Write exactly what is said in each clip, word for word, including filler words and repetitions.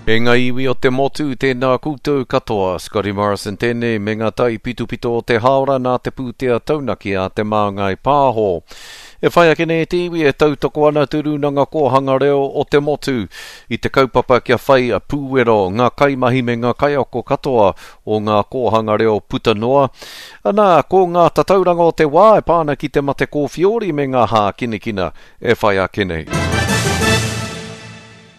E ngā iwi o te motu, tēnā koutou katoa. Scotty Morrison tēnei me ngā taipitopito o te hāora nā te pūtea taunaki a Te Māngai Pāho. E whai ake nei te iwi e tautoko ana te Rūnanga Kōhanga Reo o te motu i te kaupapa kia whai pūwero ngā kaimahi me ngā kaiako katoa o ngā kōhanga reo puta noa. Anā, ko ngā tatauranga o te wā e pā ana ki te mate kōwhiori me ngā hākinakina e whai ake nei.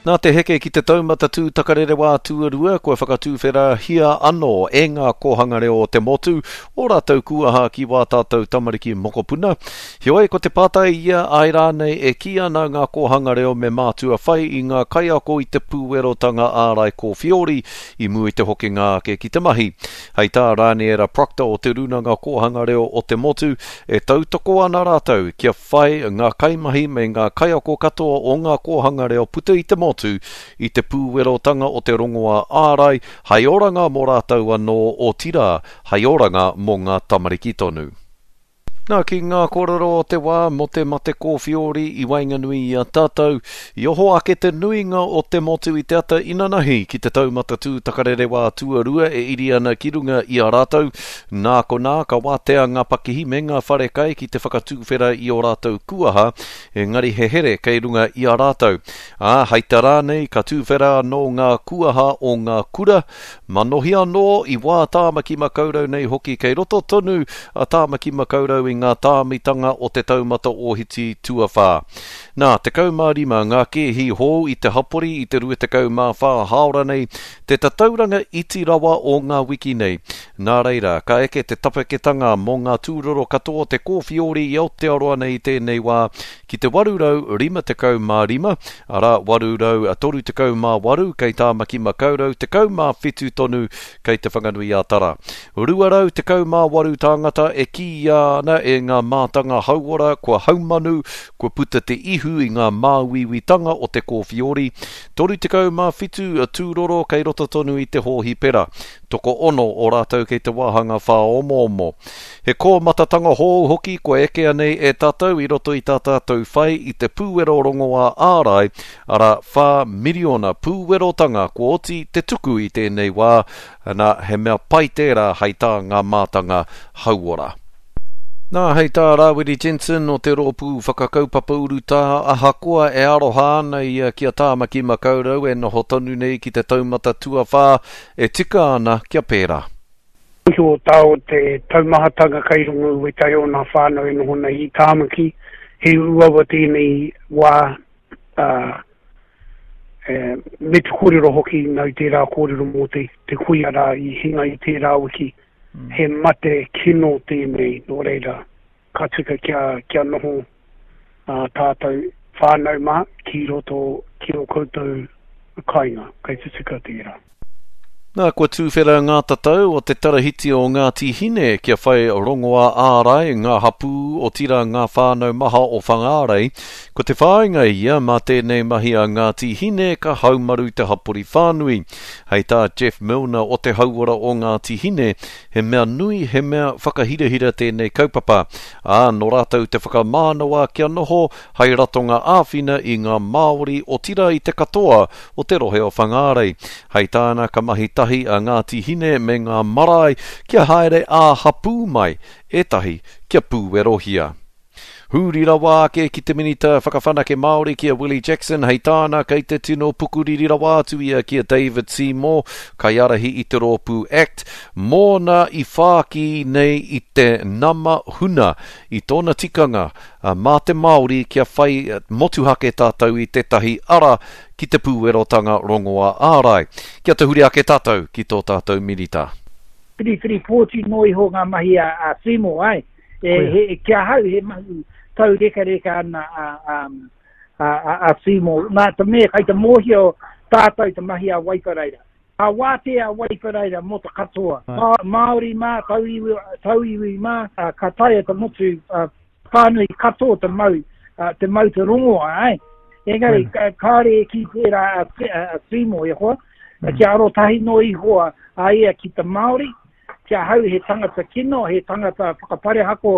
Nā te heke ki te taumata tūtakarerewā tuarua kua whakatūwherahia anō e ngā kōhanga reo o te motu o rātou kuaha ki wā tātou tamariki mokopuna. Heoi, ko te pātai ia ai rānei e kī ana ngā kōhanga reo me mātua whai i ngā kaiako i te pūwerotanga ārai kōwhiori i mua i te hokinga ake ki te mahi. Hei tā Rāniera Proctor o te Rūnanga Kōhanga Reo o te Motu, e tautoko ana rātou kia whai ngā kaimahi me ngā kaiako katoa o ngā kōhanga reo puta i te motu i te pūwerotanga o te rongoā ārai, hai oranga mō rātou anō, otirā, hai oranga mō ngā tamariki tonu. Nā, ki ngā kōrero o te wā mō te mate kōwhiori i waenganui i a tātou, i oho ake te nuinga o te motu i te ata inanahi ki te taumata tūtakarerewā tuarua e iri ana ki runga i a rātou. Nā konā, ka wātea ngā pakihi me ngā wharekai ki te whakatūwhera i ō rātou kuaha, engari he here kei runga i a rātou. Ā, hei te rā nei, ka tūwhera anō ngā kuaha o ngā kura, manohi anō i wā Tāmaki Makaurau nei hoki kei roto tonu a Tāmaki Makaurau i ngā tāmitanga o te taumata ōhiti tuawhā. Nā, tekau mā rima ngā kēhi hou i te hapori i te rua tekau mā whā hāora nei, te tatauranga iti rawa o ngā wiki nei. Nā reira, ka eke te tapaketanga mō ngā tūroro katoa o te kōwhiori i Aotearoa nei i tēnei wā ki te waru rau rima tekau mā rima, arā waru rau toru tekau mā waru kei Tāmaki Makaurau, tekau mā whitu tonu kei Te Whanganui-a-Tara. Rua rau tekau mā waru tāngata e kīia ana e ngā mātanga hauora kua haumanu, kua puta te ihu i ngā māuiuitanga o te kōwhiori, toru tekau mā whitu tūroro kei roto tonu i te hōhipera, tokoono o rātou kei te wāhanga whāomoomo. He kōmatatanga hou hoki kua ekea nei e tātou i roto i tā tātou whai i te pūwero rongoā ārai, arā whā miriona pūwerotanga kua oti te tuku i tēnei wā, nā, he mea pai tērā hei tā ngā mātanga hauora. Nā, hei tā Rāwiri Jensen o te rōpū whakakaupapa urutā, ahakoa e aroha ana ia ki a Tāmaki Makaurau e noho tonu nei ki te taumata tuawhā, e tika ana kia pērā. Mōhio tā o te taumahatanga kei runga i wētahi o ngā whānau e noho nei i Tāmaki, he uaua tēnei wā, ā, e, me te kōrero hoki nau tērā kōrero mō te, te kuia rā i hinga i tērā wiki. He mate kino tēnei, nō reira, ka tika kia, kia noho ā tātou whānau mā ki roto ki ō koutou kāinga, kei te tika tērā. Nā, kua tūwhera ngā tatau o te tarahiti o Ngāti Hine kia whai rongoā ārai ngā hapū otirā ngā whānau maha o Whangārei. Ko te whāinga ia mā tēnei mahi a Ngāti Hine ka haumaru te hapori whānui. Hei tā Jeff Milner o te hauora o Ngāti Hine, he mea nui, he mea whakahirahira tēnei kaupapa. Ā, nō rātou te whakamānawa kia noho hei ratonga āwhina i ngā Māori otirā i te katoa o te rohe o Whangārei. Hei tāna ka mahi tahi a Ngāti Hine me ngā marae kia haere ā-hapū mai ētahi kia pūwerohia. Huri rawa ake ki te Minita Whakawhanake Māori ki a Willie Jackson, hei tāna kei te tino pukuriri rawa atu ia ki a David Seymour, kaiārahi i te rōpū Act, mōna i whāki nei i te nama huna i tōna tikanga mā te Māori kia whai motuhake tātou i tētahi ara ki te pūwerotanga rongoā ārai. Kia tahuri ake tātou ki tō tātou minita. Whiriwhiri pōti noa iho ngā mahi a, a Seymour, ai. E, he, ki ahau he mahi taurekareka ana a, a, a, a, a Seymour. Nā te mea, kai te mōhio tātou te mahi a Waipareira. A wātea a Waipareira mō te katoa. Mā, Māori mā, tauiwi, tauiwi mā, a, ka taea te motu, a, whānui katoa te mau, a, te mau te rongoa, ai. Engari, mm. kāre e ki tērā a, a, a Seymour e hoa, mm. kia arotahi noa iho a ia ki te Māori, ki ahau he tangata kino, he tangata whakaparehako,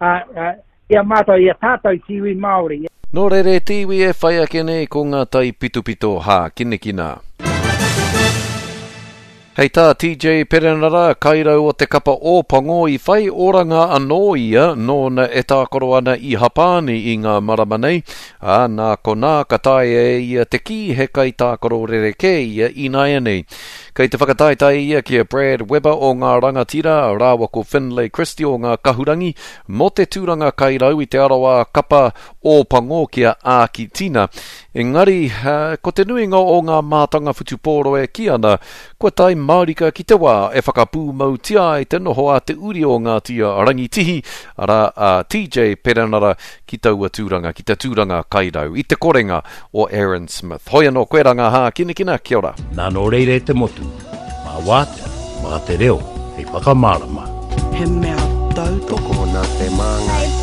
a, a, i a mātou, i a tātou te iwi Māori. Nō reira e te iwi e whai ake nei ko ngā taipitopito hākinakina. Hei tā T J Perenara, kairau o te kapa Ōpango, i whai oranga anō ia nōna e tākaro ana i Hapāni i ngā marama nei, ā, nā konā ka taea e ia te kī he kaitākaro rerekē ia ināianei. Kei te whakataetae ia ki a Brad Weber o ngā Rangatira rāua ko Finlay Christie o ngā Kahurangi mō te tūranga kairau i te arawa kapa Ōpango ki a Ākitina. Engari, ko te nuinga o ngā mātanga whutupōro e kī ana, kua tae mārika ki te wā e whakapūmautia ai te noho a te uri o Ngāti Rangitihi, arā a T J Perenara ki taua tūranga, ki te tūranga kairau, i te korenga o Aaron Smith. Hoi anō, koe rā ngā hākinakina, kia ora. Nā nō reira e te motu, mā wātea, mā te reo, hei whakamārama. He mea tautoko Tokona te māngai.